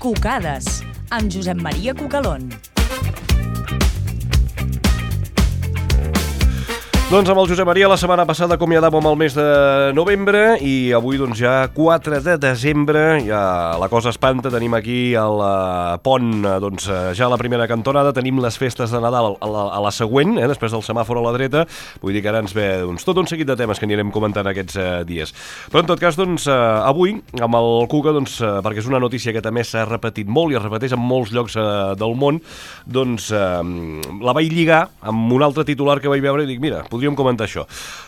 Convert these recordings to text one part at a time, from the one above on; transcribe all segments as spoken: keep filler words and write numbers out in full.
Cucades, amb Josep Maria Cucalón. Doncs amb el Josep Maria la setmana passada acomiadàvem el mes de novembre i avui doncs ja quatre de desembre, ja la cosa espanta, tenim aquí el pont, doncs ja a la primera cantonada, tenim les festes de Nadal a la, a la següent, eh, després del semàfor a la dreta, vull dir que ara ens ve doncs, tot un seguit de temes que anirem comentant aquests eh, dies. Però en tot cas, doncs, eh, avui, amb el Cuca, doncs, eh, perquè és una notícia que també s'ha repetit molt i es repeteix en molts llocs eh, del món, doncs eh, la vaig lligar amb un altre titular que vaig veure i dic, mira, podríem comentar això.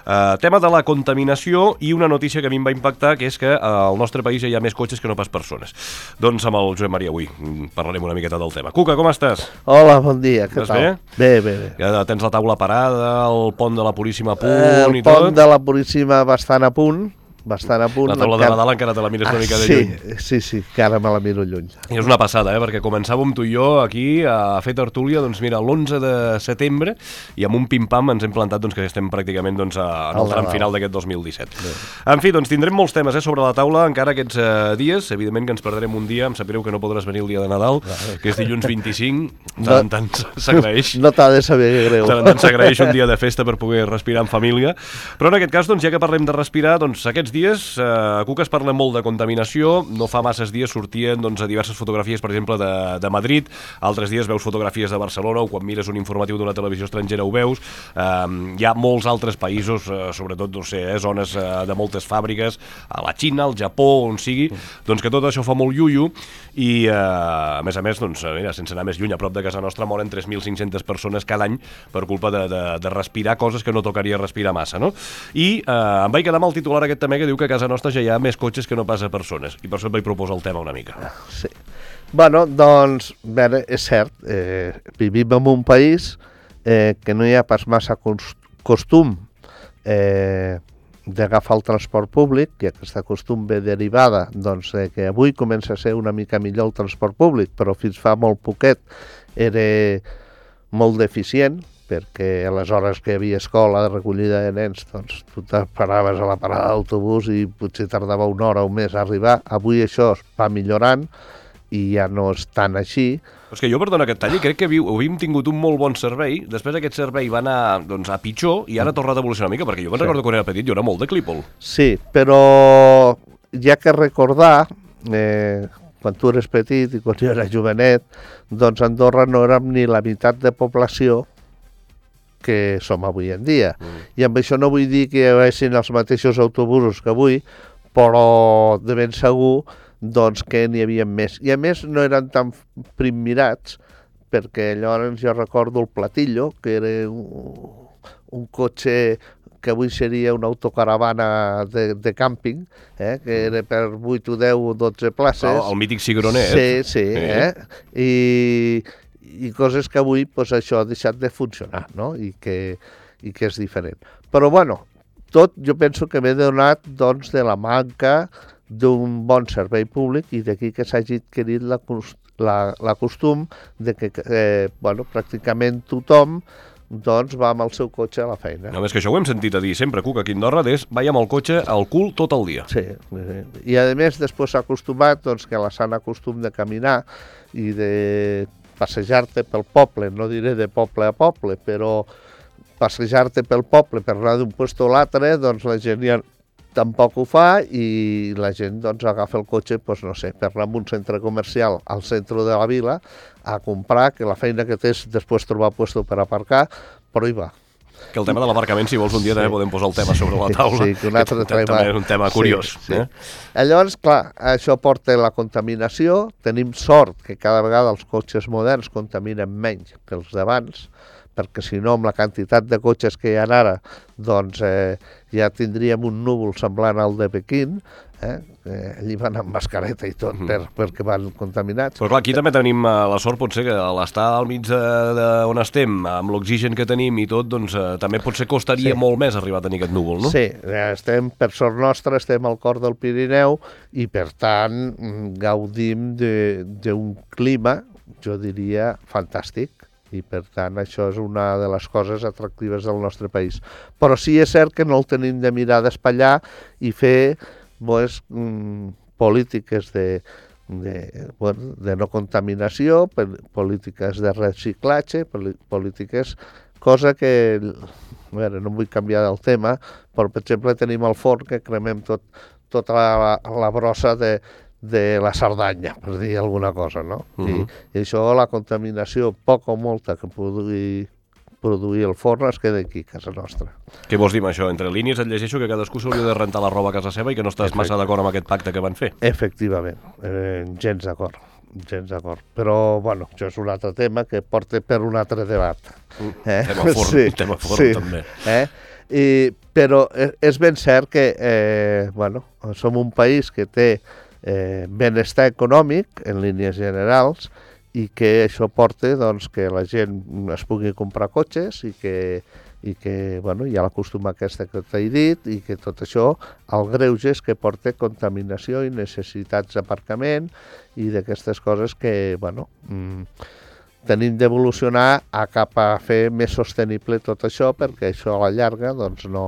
Uh, tema de la contaminació i una notícia que a mi em va impactar, que és que uh, al nostre país hi ha més cotxes que no pas persones. Doncs amb el Josep Maria avui parlarem una miqueta del tema. Cuca, com estàs? Hola, bon dia, què Estàs tal? bé? Bé, bé, bé. Ja tens la taula parada, el pont de la Puríssima a punt Eh, i el tot? pont de la Puríssima bastant a punt, bastant a punt. La taula de Nadal encara te la mires una mica de sí, lluny. Sí, sí, que ara me la miro lluny. I és una passada, eh? Perquè començàvem tu i jo aquí a fer tertúlia, doncs mira, l'onze de setembre, i amb un pim-pam ens hem plantat doncs, que estem pràcticament doncs, a, en el tram final d'aquest dos mil disset. Bé. En fi, doncs tindrem molts temes eh, sobre la taula encara aquests eh, dies. Evidentment que ens perdrem un dia, em sap greu que no podràs venir el dia de Nadal, Clar. que és dilluns vint-i-cinc, tant en tant s'agraeix. No t'ha de saber greu. Tant en tant s'agraeix un dia de festa per poder respirar en família. Però en aquest cas, doncs, ja que parlem de respirar, doncs aquests dies... Eh, A Cuca es parla molt de contaminació, no fa masses dies sortien doncs, a diverses fotografies, per exemple, de, de Madrid, altres dies veus fotografies de Barcelona, o quan mires un informatiu d'una televisió estrangera ho veus, eh, hi ha molts altres països, eh, sobretot, no sé, eh, zones eh, de moltes fàbriques, a la Xina, al Japó, on sigui, doncs que tot això fa molt iuiu, i eh, a més a més, doncs, mira, sense anar més lluny, a prop de casa nostra moren tres mil cinc-centes persones cada any per culpa de, de, de respirar coses que no tocaria respirar massa, no? I eh, em vaig quedar amb el titular aquest també que diu que a casa nostra ja hi ha més cotxes que no pas a persones, i per això et vaig proposar el tema una mica. Sí. Bueno, doncs, bé, és cert, eh, vivim en un país eh, que no hi ha pas massa costum eh, d'agafar el transport públic, i aquesta costum ve derivada doncs, eh, que avui comença a ser una mica millor el transport públic, però fins fa molt poquet era molt deficient, perquè a les hores que hi havia escola de recollida de nens, doncs tu te paraves a la parada d'autobús i potser tardava una hora o més a arribar. Avui això es va millorant i ja no és tan així. Però és que jo, perdona que et talli, crec que havíem tingut un molt bon servei, després aquest servei va anar doncs, a pitjor i ara ha tornat a evolucionar una mica, perquè jo me'n sí. recordo quan era petit, jo era molt de clípol. Sí, però hi ha que recordar... Eh, quan tu eres petit i quan jo era jovenet, doncs a Andorra no érem ni la meitat de població que som avui en dia. Mm. I amb això no vull dir que hi haguessin els mateixos autobusos que avui, però de ben segur doncs, que n'hi havia més. I a més no eren tan primmirats, perquè llavors jo recordo el Platillo, que era un, un cotxe que avui seria una autocaravana de, de càmping, eh, que era per vuit o deu o dotze places. El, el mític cigronet. Sí, sí, eh? I, i coses que avui pues, això ha deixat de funcionar, no? I que, i que és diferent. Però, bueno, tot jo penso que ve donat doncs, de la manca d'un bon servei públic i d'aquí que s'hagi adquirit la, la, la costum de que eh, bueno, pràcticament tothom doncs va amb el seu cotxe a la feina. No, més que això ho hem sentit a dir sempre, Cuca, aquí a Andorra, és vaig amb el cotxe al cul tot el dia. Sí, i a més després s'ha acostumat doncs, que la sana costum de caminar i de passejar-te pel poble, no diré de poble a poble, però passejar-te pel poble per anar d'un lloc a l'altre, doncs la gent ja tampoc ho fa i la gent doncs, agafa el cotxe doncs, no sé, per anar a un centre comercial al centre de la vila a comprar, que la feina que té és després trobar lloc per aparcar, però hi va. Que el tema de l'aparcament, si vols un dia sí. també podem posar el tema sobre la taula. Sí, que un altre que tema... també és un tema curiós. Sí, sí. Eh? Llavors, clar, això porta la contaminació, tenim sort que cada vegada els cotxes moderns contaminen menys que els d'abans, perquè si no, amb la quantitat de cotxes que hi ha ara, doncs eh, ja tindríem un núvol semblant al de Pequín, eh? Eh, allí van amb mascareta i tot, mm. per, perquè van contaminats. Però clar, aquí també tenim eh, la sort, potser, que a l'estar al mig d'on estem, amb l'oxigen que tenim i tot, doncs eh, també potser costaria sí. molt més arribar a tenir aquest núvol, no? Sí, estem, per sort nostra, estem al cor del Pirineu i, per tant, gaudim d'un clima, jo diria, fantàstic. I per tant això és una de les coses atractives del nostre país. Però sí és cert que no el tenim de mirar d'espatllar i fer pues, mm, polítiques de, de, bueno, de no contaminació, polítiques de reciclatge, polítiques, cosa que, a veure, no vull canviar el tema, però per exemple tenim el forn que cremem tot, tota la, la brossa de, de la Cerdanya, per dir alguna cosa, no? Uh-huh. I, I això, la contaminació, poca o molta que pugui produir el forn, es queda aquí, a casa nostra. Què vols dir amb això? Entre línies et llegeixo que cadascú s'hauria de rentar la roba a casa seva i que no estàs massa d'acord amb aquest pacte que van fer. Efectivament, eh, gens d'acord, gens d'acord. Però, bueno, això és un altre tema que porta per un altre debat. Eh? Tema forn, sí, tema forn sí. també. Eh? I, però és ben cert que, eh, bueno, som un país que té eh, benestar econòmic, en línies generals, i que això porta doncs, que la gent es pugui comprar cotxes i que, i que bueno, hi ha l'acostuma aquesta que t'he dit i que tot això, el greuge és que porta contaminació i necessitats d'aparcament i d'aquestes coses que bueno, mmm, tenim d'evolucionar a cap a fer més sostenible tot això perquè això a la llarga doncs, no...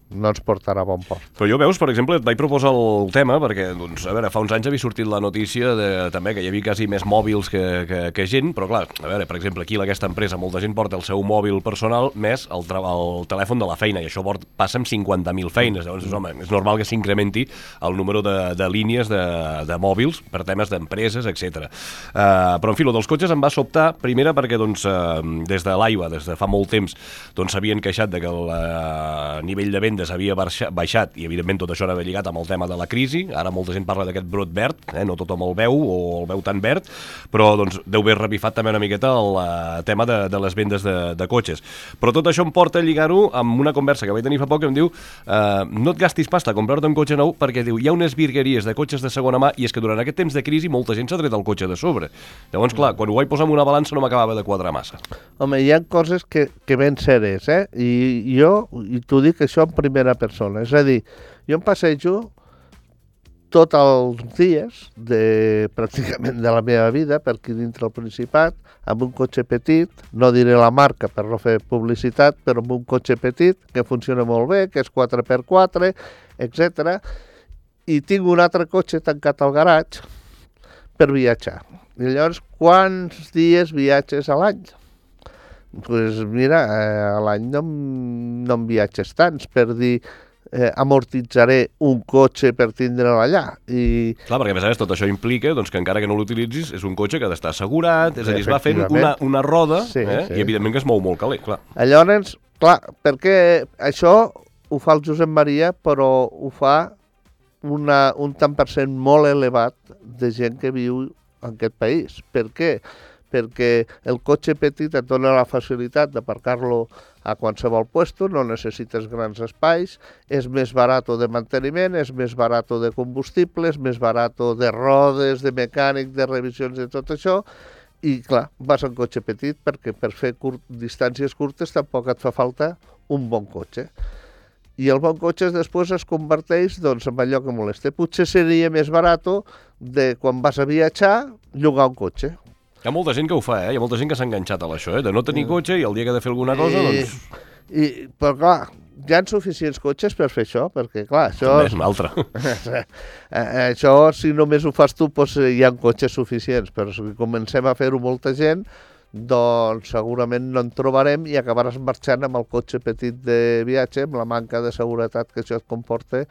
no ens portarà a bon port. Però jo, veus, per exemple, et vaig proposar el tema perquè, doncs, a veure, fa uns anys havia sortit la notícia de, també que hi havia quasi més mòbils que, que, que gent, però clar, a veure, per exemple, aquí aquesta empresa, molta gent porta el seu mòbil personal més el, el telèfon de la feina, i això port, passa amb cinquanta mil feines, llavors, home, és normal que s'incrementi el número de, de línies de, de mòbils per temes d'empreses, etcètera. Uh, però, en fi, lo dels cotxes em va sobtar, primera perquè, doncs, uh, des de l'AIBA, des de fa molt temps, doncs s'havien queixat de que el uh, nivell de venda havia baixat i evidentment tot això anava lligat amb el tema de la crisi. Ara molta gent parla d'aquest brot verd, eh? No tothom el veu o el veu tan verd, però doncs, deu haver revifat també una miqueta el uh, tema de, de les vendes de, de cotxes. Però tot això em porta a lligar-ho amb una conversa que vaig tenir fa poc que em diu uh, no et gastis pasta a comprar-te un cotxe nou perquè diu hi ha unes virgueries de cotxes de segona mà i és que durant aquest temps de crisi molta gent s'ha tret el cotxe de sobre. Llavors, clar, quan ho vaig posar en una balança no m'acabava de quadrar massa. Home, hi ha coses que, que ben seres, eh? I jo, i t'ho dic això en primera persona, és a dir, jo em passejo tots els dies de, pràcticament de la meva vida per aquí dintre el Principat amb un cotxe petit, no diré la marca per no fer publicitat, però amb un cotxe petit que funciona molt bé, que és quatre per quatre, etcètera. I tinc un altre cotxe tancat al garatge per viatjar. I llavors, quants dies viatges a l'any? Doncs pues mira, eh, a l'any no, no en viatges tants, per dir, eh, amortitzaré un cotxe per tindre'l allà. I... Clar, perquè a més a més tot això implica doncs, que encara que no l'utilitzis és un cotxe que ha d'estar assegurat, és a dir, es va fent una, una roda sí, eh? sí. I evidentment que es mou molt calent, clar. Llavors, clar, perquè això ho fa el Josep Maria, però ho fa una, un tant per cent molt elevat de gent que viu en aquest país. Per què? Perquè el cotxe petit et dona la facilitat d'aparcar-lo a qualsevol puesto, no necessites grans espais, és més barat de manteniment, és més barat de combustible, és més barat de rodes, de mecànic, de revisions, de tot això, i clar, vas en cotxe petit perquè per fer curt, distàncies curtes tampoc et fa falta un bon cotxe. I el bon cotxe després es converteix doncs, en allò que molesta. Potser seria més barat de quan vas a viatjar llogar un cotxe. Hi ha molta gent que ho fa, eh? Hi ha molta gent que s'ha enganxat a això, eh? De no tenir cotxe i el dia que ha de fer alguna cosa, I, doncs... I, però clar, hi ha suficients cotxes per fer això, perquè clar, això... També és un altre. Això, si només ho fas tu, doncs hi ha cotxes suficients, però si comencem a fer-ho molta gent, doncs segurament no en trobarem i acabaràs marxant amb el cotxe petit de viatge, amb la manca de seguretat que això et comporta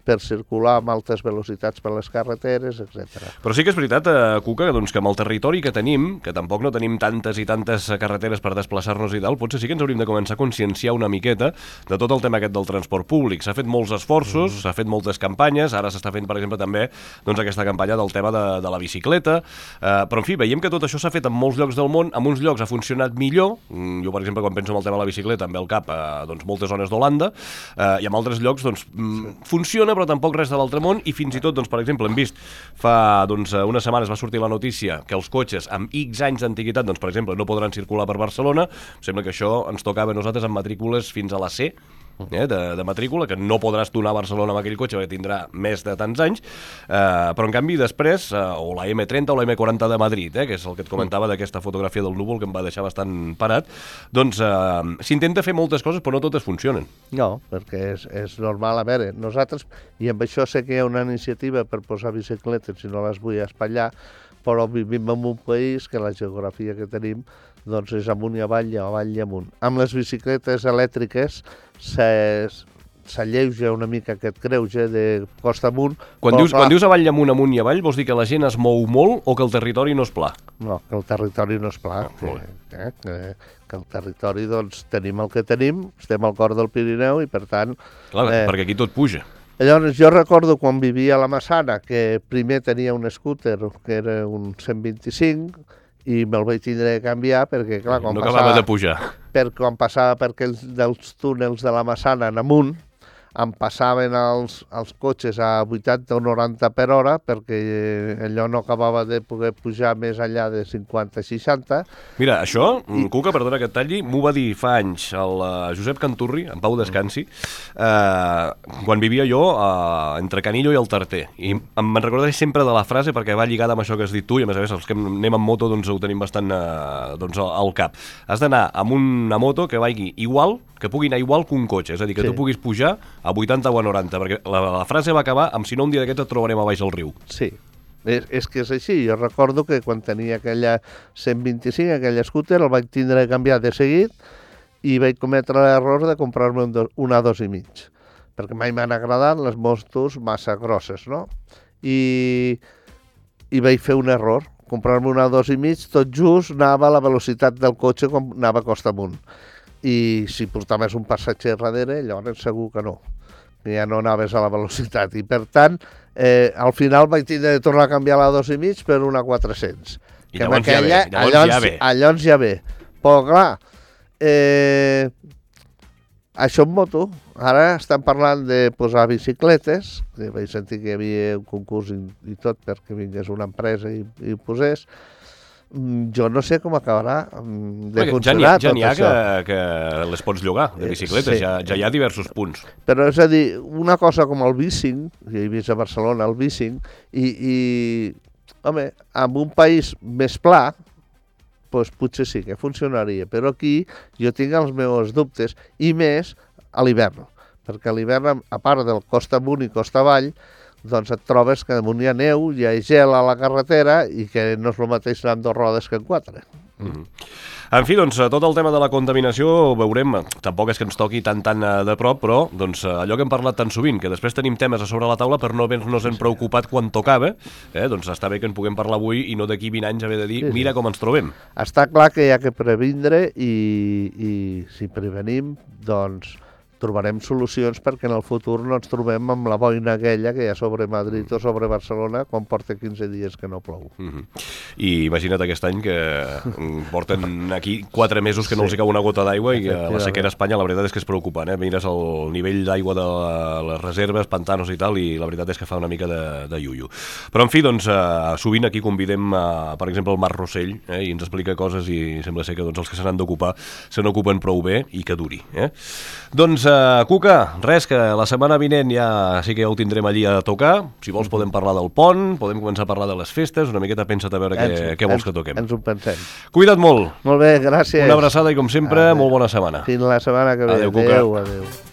per circular amb altes velocitats per les carreteres, etcètera. Però sí que és veritat, eh, Cuca, doncs, que amb el territori que tenim, que tampoc no tenim tantes i tantes carreteres per desplaçar-nos i tal, potser sí que ens hauríem de començar a conscienciar una miqueta de tot el tema aquest del transport públic. S'ha fet molts esforços, mm. s'ha fet moltes campanyes, ara s'està fent, per exemple, també doncs, aquesta campanya del tema de, de la bicicleta, eh, però, en fi, veiem que tot això s'ha fet en molts llocs del món, en uns llocs ha funcionat millor, jo, per exemple, quan penso en el tema de la bicicleta, em ve al cap eh, doncs, moltes zones d'Holanda, eh, i en altres llocs doncs, sí. funciona, però tampoc res de l'altre món, i fins i tot, doncs, per exemple, hem vist fa doncs, unes setmanes va sortir la notícia que els cotxes amb X anys d'antiguitat, doncs, per exemple, no podran circular per Barcelona. Sembla que això ens tocava a nosaltres amb matrícules fins a la C, eh, de, de matrícula, que no podràs donar a Barcelona amb aquell cotxe perquè tindrà més de tants anys, eh, però en canvi després, eh, o la eme trenta o la eme quaranta de Madrid, eh, que és el que et comentava d'aquesta fotografia del núvol que em va deixar bastant parat, doncs eh, s'intenta fer moltes coses però no totes funcionen. No, perquè és, és normal. A veure, nosaltres, i amb això sé que hi ha una iniciativa per posar bicicletes, si no les vull espatllar, però vivim en un país que la geografia que tenim doncs és amunt i avall i avall i amunt. Amb les bicicletes elèctriques s'alleuja una mica aquest greuge de costa amunt. Quan dius, quan dius avall i amunt, amunt i avall, vols dir que la gent es mou molt o que el territori no és pla? No, que el territori no és pla. Ah, que, eh, que, que el territori, doncs, tenim el que tenim, estem al cor del Pirineu i, per tant... Clar, eh, perquè aquí tot puja. Llavors, jo recordo quan vivia a la Massana que primer tenia un scooter que era un cent vint-i-cinc i me'l vaig tindre de canviar perquè, clar, quan no passava... acabava de pujar. Per, quan passava per aquells dels túnels de la Massana en amunt, em passaven els, els cotxes a vuitanta o noranta per hora perquè allò no acabava de poder pujar més enllà de cinquanta a seixanta. Mira, això, I... Cuca, perdona que et talli, m'ho va dir fa anys el uh, Josep Canturri, en Pau Descansi, uh, quan vivia jo uh, entre Canillo i el Tarter. I em recordaré sempre de la frase perquè va lligada amb això que has dit tu i a més a més els que anem amb moto doncs ho tenim bastant uh, doncs, al cap. Has d'anar amb una moto que vagi igual, que pugui anar igual que un cotxe, és a dir, que sí. tu puguis pujar a vuitanta o a noranta, perquè la, la frase va acabar amb si no un dia d'aquests et trobarem a baix del riu. Sí, és, és que és així. Jo recordo que quan tenia aquella cent vint-i-cinc, aquell scooter, el vaig tindre de canviar de seguit i vaig cometre l'error de comprar-me un do, una dos i mig, perquè mai m'han agradat les motos massa grosses, no? I, i vaig fer un error, comprar-me una dos i mig, tot just anava a la velocitat del cotxe com anava costa amunt. I si portaves un passatger darrere, llavors segur que no, que ja no anaves a la velocitat. I per tant, eh, al final vaig tindre de tornar a canviar la dos i mig per una quatre-cents. I llavors ja ve, llavors allons, ja ve. Allons ja ve. Però clar, eh, això en moto, ara estan parlant de posar bicicletes, que vaig sentir que hi havia un concurs i, i tot perquè vingués una empresa i, i ho posés. Jo no sé com acabarà de Perquè funcionar ja n'hi ha, tot ja això. que, que les pots llogar, de bicicletes, sí. ja, ja hi ha diversos punts. Però és a dir, una cosa com el bicing, jo he vist a Barcelona el bicing, i, i home, en un país més pla, doncs potser sí que funcionaria, però aquí jo tinc els meus dubtes, i més a l'hivern, perquè a l'hivern, a part del costa amunt i costa avall, doncs et trobes que damunt hi ha neu, hi ha gel a la carretera i que no és el mateix anar amb dos rodes que en quatre. Mm-hmm. En fi, doncs, tot el tema de la contaminació veurem, tampoc és que ens toqui tan tan de prop, però doncs, allò que hem parlat tan sovint, que després tenim temes a sobre la taula per no haver-nos en preocupat quan tocava, eh, doncs està bé que en puguem parlar avui i no d'aquí vint anys haver de dir, sí, sí. mira com ens trobem. Està clar que hi ha que previndre i, i si prevenim, doncs trobarem solucions perquè en el futur no ens trobem amb la boina aquella que hi ha sobre Madrid o sobre Barcelona quan porta quinze dies que no plou. Mm-hmm. I imagina't aquest any que porten aquí quatre mesos que no sí. els hi cau una gota d'aigua i la sequera a Espanya la veritat és que és preocupant, eh? Mires el nivell d'aigua de les reserves, pantanos i tal, i la veritat és que fa una mica de, de iuiu. Però en fi, doncs, uh, sovint aquí convidem, uh, per exemple, el Marc Rossell, eh? i ens explica coses i sembla ser que doncs, els que se n'han d'ocupar se n'ocupen prou bé i que duri. Eh? Doncs Uh, Cuca, res, que la setmana vinent ja sí que ja ho tindrem allí a tocar. Si vols podem parlar del pont, podem començar a parlar de les festes, una miqueta pensa't a veure ens, què, què vols ens, que toquem. Ens ho pensem. Cuida't molt. Molt bé, gràcies. Una abraçada i com sempre, adeu. Molt bona setmana. Fins la setmana que ve. Adéu, Cuca. Adéu, adéu.